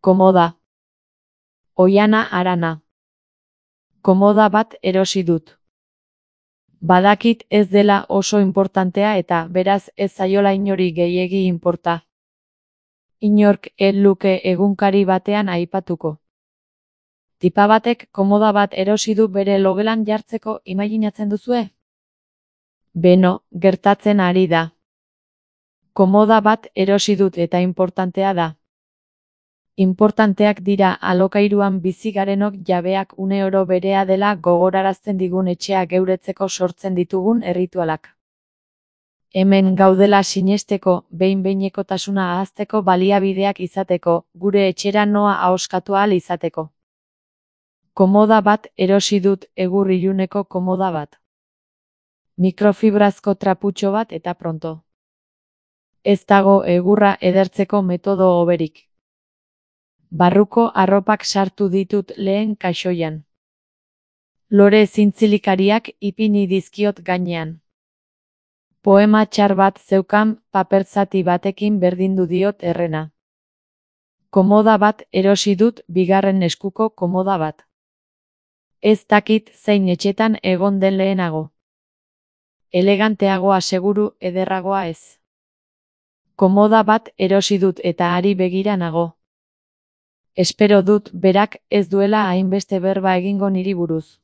Komoda. Oihana Arana. Komoda bat erosi dut. Badakit ez dela oso inportantea eta beraz ez zaiola inori gehiegi inporta. Inork ez luke egunkari batean aipatuko. Tipa batek komoda bat erosi du bere logelan jartzeko, imaginatzen duzue? Beno, gertatzen ari da. Komoda bat erosi dut eta inportantea da. Inportanteak dira alokairuan bizi garenok jabeak uneoro berea dela gogorarazten digun etxea geuretzeko sortzen ditugun erritualak. Hemen gaudela sinesteko, behin-behinekotasuna ahazteko baliabideak izateko, gure etxera noa ahoskatu ahal izateko. Komoda bat erosi dut, egur iluneko komoda bat. Mikrofibrazko traputxo bat eta pronto. Ez dago egurra edertzeko metodo hoberik. Barruko arropak sartu ditut lehen kaxoian. Lore zintzilikariak ipini dizkiot gainean. Poema txar bat zeukan paper zati batekin berdindu diot errena. Komoda bat erosi dut, bigarren eskuko komoda bat. Ez dakit zein etxetan egon den lehenago. Eleganteagoa seguru, ederragoa ez. Komoda bat erosi dut eta hari begira nago. Espero dut berak ez duela hainbeste berba egingo niri buruz.